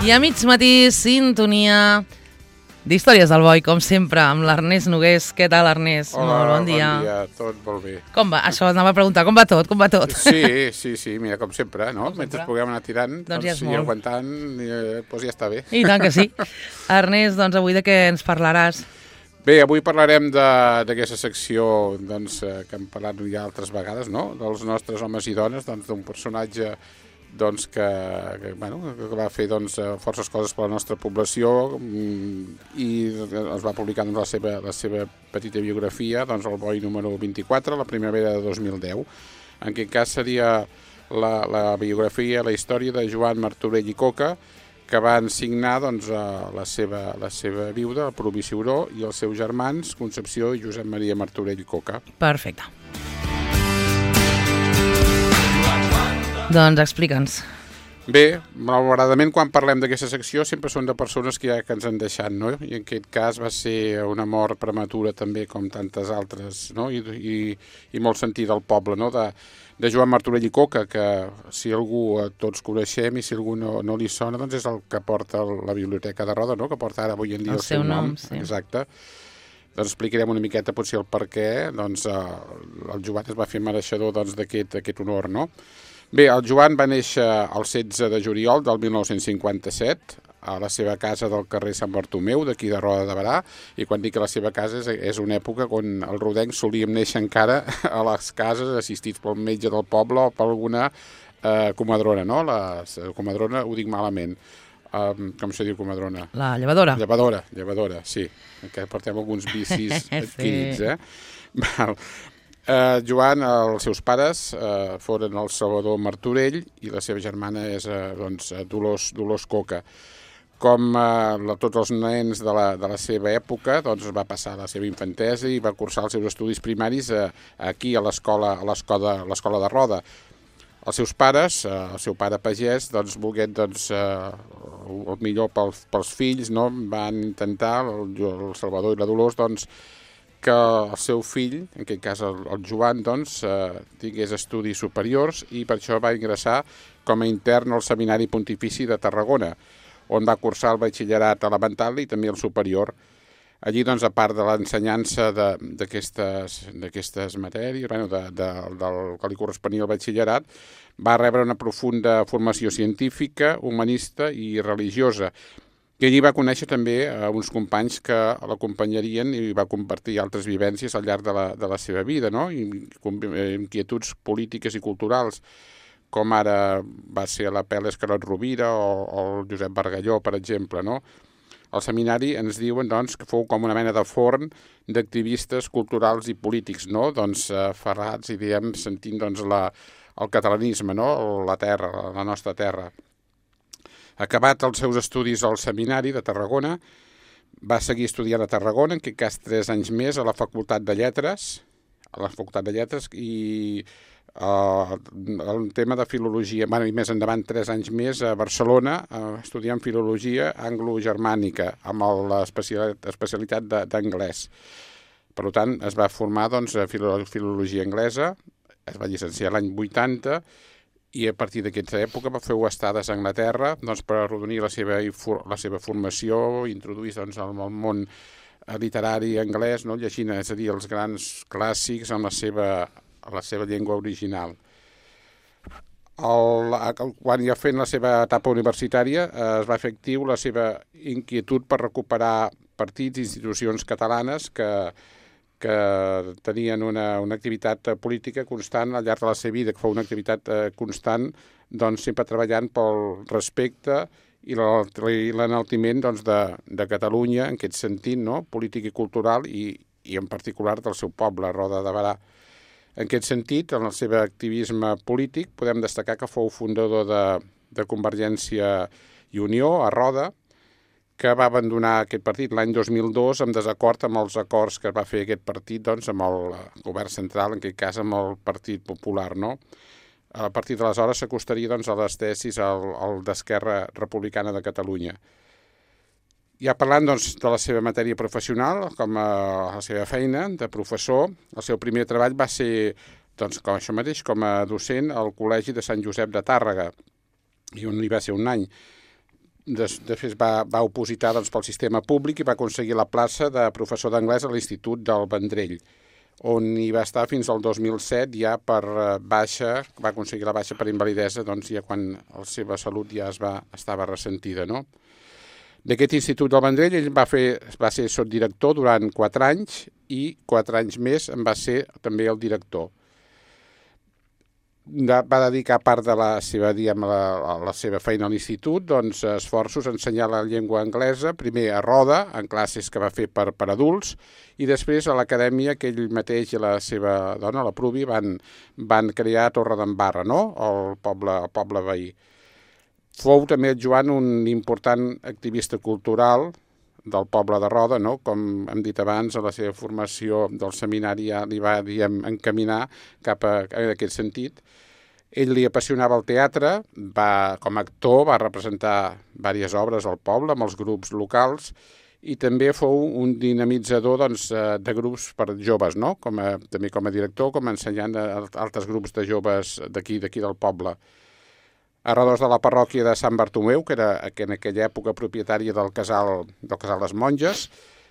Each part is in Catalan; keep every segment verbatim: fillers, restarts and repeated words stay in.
I a mig matí, sintonia d'Històries del Boi, com sempre, amb l'Ernest Nogués. Què tal, Ernest? Hola, molt bon dia. bon dia, tot molt bé. Com va? Això anava a preguntar, com va tot? Com va tot? Sí, sí, sí, mira, com sempre, no? Com Mentre sempre. puguem anar tirant, Doncs doncs, ja és i molt. aguantant, eh, doncs ja està bé. I tant que sí. Ernest, doncs avui de què ens parlaràs? Bé, avui parlarem de- d'aquesta secció doncs, eh, que hem parlat ja altres vegades, no? Dels nostres homes i dones, doncs, d'un personatge doncs, que, que, bueno, que va fer doncs, eh, forces coses per la nostra població mm, i es va publicar doncs, la, seva, la seva petita biografia, doncs, el Boi número vint-i-quatre, la primavera de dos mil deu. En aquest cas seria la, la biografia, la història de Joan Martorell i Coca, que van signar doncs, la, seva, la seva viuda, el Provi Ciuró, i els seus germans, Concepció i Josep Maria Martorell i Coca. Perfecte. Doncs explica'ns. Bé, malauradament quan parlem d'aquesta secció sempre són de persones que ja que ens han deixat, no? I en aquest cas va ser una mort prematura també com tantes altres, no? I, i, i molt sentit al poble, no? De, de Joan Martorell i Coca, que si algú eh, tots coneixem i si algú no, no li sona, doncs és el que porta la Biblioteca de Roda, no? Que porta ara avui en dia El el, seu, seu nom, nom. sí. Exacte. Doncs explicarem una miqueta potser el per què doncs, eh, el Joan es va fer mereixedor doncs, d'aquest aquest honor, no? Bé, el Joan va néixer el setze de juliol del mil nou-cents cinquanta-set a la seva casa del carrer Sant Bartomeu, d'aquí de Roda de Berà, i quan dic que la seva casa és, és una època on el rodenc solíem néixer encara a les cases assistits pel metge del poble o per alguna eh, comadrona, no? La, la comadrona ho dic malament. Um, com se diu comadrona? La llevadora. Llevadora, llevadora, sí. Que portem alguns vicis adquirits, eh? Val. Uh, Joan, els seus pares uh, foren el Salvador Martorell i la seva germana és uh, doncs, Dolors, Dolors Coca. Com uh, tots els nens de la, de la seva època, doncs va passar la seva infantesa i va cursar els seus estudis primaris uh, aquí a l'escola a l'escola a l'escola de Roda. Els seus pares, uh, el seu pare pagès, doncs, volguent doncs, uh, el millor pels, pels fills, no? Van intentar, el, el Salvador i la Dolors, doncs, que el seu fill, en aquest cas el, el Joan, doncs, eh, tingués estudis superiors i per això va ingressar com a intern al Seminari Pontifici de Tarragona, on va cursar el batxillerat elemental i també el superior. Allí, doncs, a part de l'ensenyança d'aquestes matèries, bueno, de, de, del que li corresponia al batxillerat, va rebre una profunda formació científica, humanista i religiosa. I allí va conèixer també eh, uns companys que l'acompanyarien i va compartir altres vivències al llarg de la, de la seva vida, no? I, inquietuds polítiques i culturals, com ara va ser l'Apel·les Carot Rovira o, o el Josep Bargalló, per exemple, no? Al seminari ens diuen doncs, que fou com una mena de forn d'activistes culturals i polítics, no? Doncs eh, ferrats i diem sentint doncs, la, el catalanisme, no? La terra, la, la nostra terra. Acabat els seus estudis al seminari de Tarragona, va seguir estudiant a Tarragona, en aquest cas tres anys més, a la Facultat de Lletres, a la Facultat de Lletres, i uh, el tema de filologia, bueno, i més endavant tres anys més a Barcelona, uh, estudiant filologia anglo-germànica, amb l'especialitat d'anglès. Per tant, es va formar doncs, a filologia anglesa, es va llicenciar l'any vuitanta, i a partir d'aquesta època va fer estades a Anglaterra doncs, per arrodonir la seva, la seva formació, introduir doncs, el món literari anglès, no? Llegint, és a dir, els grans clàssics en la seva, en la seva llengua original. El, quan ja fent la seva etapa universitària es va fer actiu la seva inquietud per recuperar partits i institucions catalanes que que tenien una, una activitat política constant al llarg de la seva vida, que fou una activitat eh, constant, doncs sempre treballant pel respecte i l'enaltiment doncs, de, de Catalunya, en aquest sentit, no? Polític i cultural, i, i en particular del seu poble, Roda de Berà. En aquest sentit, en el seu activisme polític, podem destacar que fou fundador de, de Convergència i Unió, a Roda, que va abandonar aquest partit l'any dos mil dos en desacord amb els acords que va fer aquest partit doncs, amb el govern central, en aquest cas amb el Partit Popular. No? A partir d'aleshores s'acostaria doncs, a les tesis al, al d'Esquerra Republicana de Catalunya. Ja parlant doncs, de la seva matèria professional, com a la seva feina de professor, el seu primer treball va ser doncs, com això mateix, com a docent al Col·legi de Sant Josep de Tàrrega, i on hi va ser un any. després va, va opositar doncs, pel sistema públic i va aconseguir la plaça de professor d'anglès a l'Institut del Vendrell, on hi va estar fins al dos mil set, ja per baixa, va aconseguir la baixa per invalidesa, doncs ja quan la seva salut ja es va, estava ressentida, no? D'aquest Institut del Vendrell ell va, fer, va ser sotdirector durant quatre anys i quatre anys més en va ser també el director. Va dedicar part de la seva, diguem, la, la seva feina a l'institut, doncs, esforços a ensenyar la llengua anglesa, primer a Roda, en classes que va fer per, per adults, i després a l'acadèmia que ell mateix i la seva dona, la Pruvi, van, van crear a Torredembarra, no? el, poble, el poble veí. Fou també el Joan un important activista cultural del poble de Roda, no? Com hem dit abans, a la seva formació del seminari ja li va, diguem, encaminar cap a, a aquest sentit. Ell li apassionava el teatre, va, com a actor va representar diverses obres al poble amb els grups locals i també fou un dinamitzador doncs, de grups per joves, no? com a, també com a director, com a ensenyant a altres grups de joves d'aquí d'aquí del poble. A redós de la parròquia de Sant Bartomeu, que era que en aquella època propietària del casal, del casal Les Monges,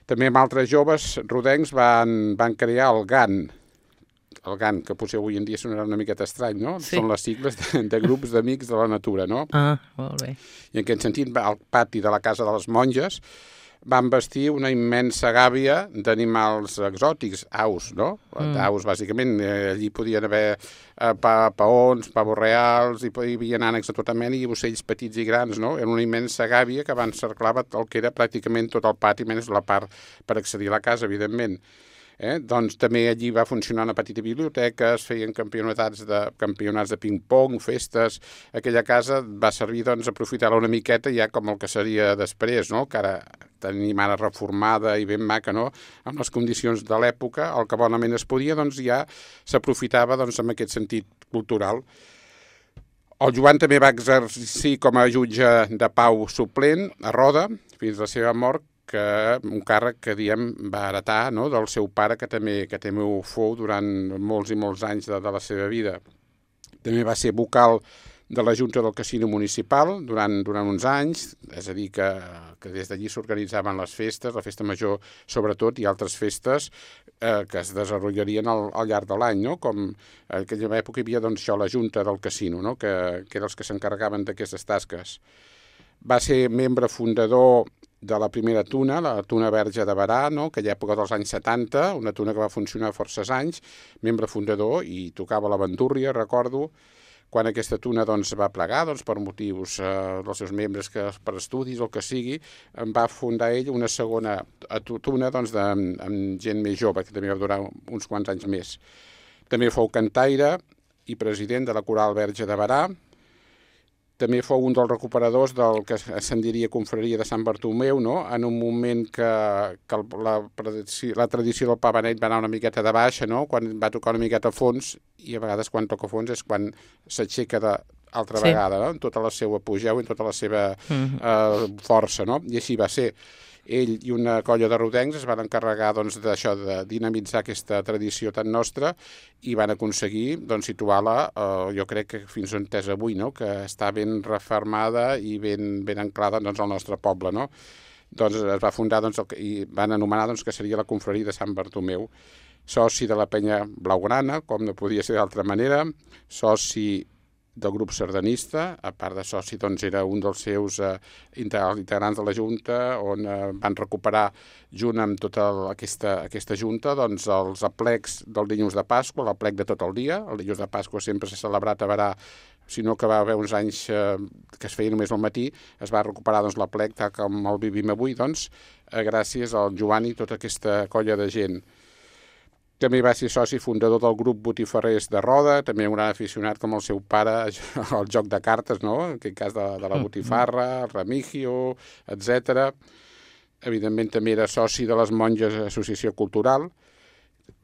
també amb altres joves rodencs van, van crear el G A N, el G A N, que potser avui en dia sonarà una miqueta estrany, no? Sí. Són les sigles de, de grups d'amics de la natura, no? Ah, molt bé. I en aquest sentit, al pati de la casa de les monges van vestir una immensa gàbia d'animals exòtics, aus, no? Mm. Aus, bàsicament. Eh, allí podien haver eh, pa, paons, pavos reals, i hi havia ànecs de tota mena i ocells petits i grans, no? Era una immensa gàbia que encerclava el que era pràcticament tot el pati, menys la part per accedir a la casa, evidentment. Eh? Doncs també allí va funcionar una petita biblioteca, es feien campionats de, campionats de ping-pong, festes. Aquella casa va servir doncs, a aprofitar-la una miqueta ja com el que seria després, no? Que ara tenim ara reformada i ben maca, no? Amb les condicions de l'època, el que bonament es podia, doncs ja s'aprofitava doncs, en aquest sentit cultural. El Joan també va exercir com a jutge de pau suplent a Roda fins a la seva mort, que un càrrec que, diem, va heretar, no?, del seu pare, que també, que també ho fou durant molts i molts anys de, de la seva vida. També va ser vocal de la Junta del Casino Municipal durant, durant uns anys, és a dir, que, que des d'allí s'organitzaven les festes, la festa major sobretot, i altres festes eh, que es desenvoluparien al, al llarg de l'any, no? Com en aquella època hi havia doncs, això, la Junta del Casino, no? que, que eren els que s'encarregaven d'aquestes tasques. Va ser membre fundador de la primera tuna, la Tuna Verge de Berà, no? Aquella època dels anys setanta, una tuna que va funcionar forces anys, membre fundador, i tocava la bandúrria, recordo, quan aquesta tuna doncs, va plegar doncs, per motius eh, dels seus membres, que per estudis o el que sigui, va fundar ell una segona tuna doncs, de, amb gent més jove, que també va durar uns quants anys més. També fou cantaire i president de la Coral Verge de Berà. També fou un dels recuperadors del que se'n diria confraria de Sant Bartomeu, no? En un moment que, que la, la tradició del pa beneit va anar una miqueta de baixa, no? Quan va tocar una miqueta a fons, i a vegades quan toca a fons és quan s'aixeca d'altra sí. vegada, no? En tota la seva apogeu i en tota la seva mm-hmm. eh, força, no? I així va ser. Ell i una colla de rodencs es van encarregar doncs, d'això, de dinamitzar aquesta tradició tan nostra, i van aconseguir doncs, situar-la, eh, jo crec que fins on és avui, no? Que està ben refermada i ben, ben anclada doncs, al nostre poble, no? Doncs es va fundar doncs, el, i van anomenar doncs, que seria la confraria de Sant Bartomeu, soci de la penya blaugrana, com no podia ser d'altra manera, soci del grup sardanista, a part de soci, doncs era un dels seus eh, integrants de la Junta, on eh, van recuperar, junt amb tota aquesta, aquesta Junta, doncs els aplecs del dilluns de Pasqua, l'aplec de tot el dia. El dilluns de Pasqua sempre s'ha celebrat a Berà, sinó que va haver uns anys eh, que es feia només al matí, es va recuperar doncs, l'aplec, tal com el vivim avui, doncs, eh, gràcies al Joan i tota aquesta colla de gent. També va ser soci fundador del grup Botifarrers de Roda, també un gran aficionat com el seu pare al joc de cartes, no? En aquest cas de, de la botifarra, el remigio, etcètera. Evidentment també era soci de les Monges Associació Cultural.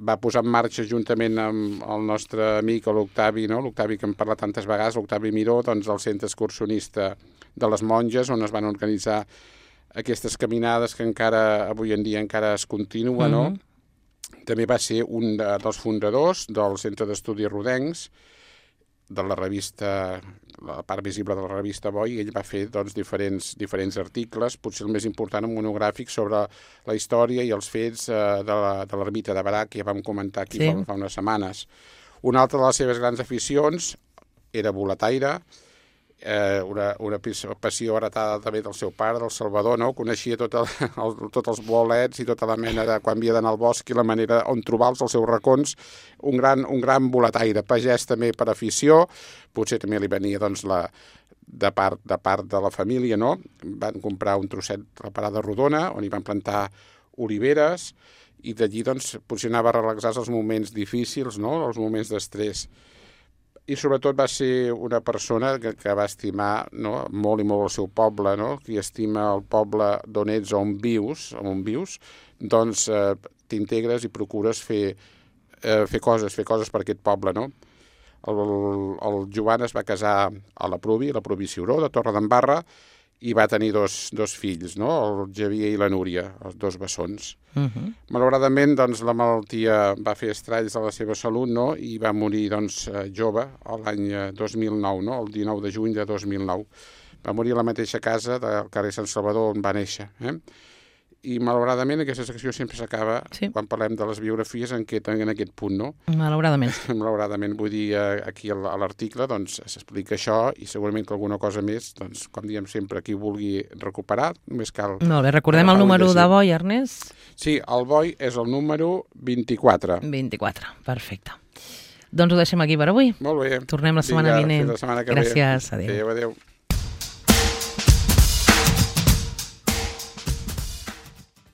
Va posar en marxa juntament amb el nostre amic l'Octavi, no? L'Octavi que hem parlat tantes vegades, l'Octavi Miró, doncs el centre excursionista de les Monges, on es van organitzar aquestes caminades que encara avui en dia encara es continua, mm-hmm. no? També va ser un dels fundadors del Centre d'Estudis Rodencs de la revista, la part visible de la revista Boi, i ell va fer doncs, diferents, diferents articles, potser el més important, un monogràfic sobre la història i els fets eh, de l'ermita de Barac, que ja vam comentar aquí sí. fa, fa unes setmanes. Una altra de les seves grans aficions era boletaire, eh, una, una passió heretada també del seu pare, del Salvador, no? Coneixia tot el, el, tots els bolets i tota la mena de quan havia d'anar al bosc i la manera on trobar-los, els seus racons, un gran, un gran boletaire, pagès també per afició, potser també li venia doncs, la, de, part, de part de la família, no? Van comprar un trosset de la parada rodona, on hi van plantar oliveres, i d'allí doncs, potser anava a relaxar els moments difícils, no? Els moments d'estrès. I sobretot va ser una persona que, que va estimar, no? molt i molt el seu poble, no? Qui estima el poble d'on ets o on vius, on vius doncs eh, t'integres i procures fer, eh, fer coses, fer coses per aquest poble, no? El, el Joan es va casar a la Provi, a la Provi Ciuró, de Torredembarra, i va tenir dos, dos fills, no? El Xavier i la Núria, els dos bessons. Uh -huh. Malauradament, doncs, la malaltia va fer estralls a la seva salut, no? I va morir doncs, jove, l'any dos mil nou, no? El dinou de juny de dos mil nou. Va morir a la mateixa casa del carrer Sant Salvador on va néixer. Eh? I malauradament aquesta secció sempre s'acaba, sí. quan parlem de les biografies, en, aquest, en aquest punt, no? Malauradament. Malauradament, vull dir, aquí a l'article doncs, s'explica això i segurament que alguna cosa més, doncs, com diem sempre, qui vulgui recuperar, només cal... Molt bé, recordem el número de Boi, Ernest? Sí, el Boi és el número vint-i-quatre. vint-i-quatre, perfecte. Doncs ho deixem aquí per avui. Molt bé. Tornem la setmana Vinga, vinent. la setmana que Gràcies, ve. adéu. Adéu, adéu.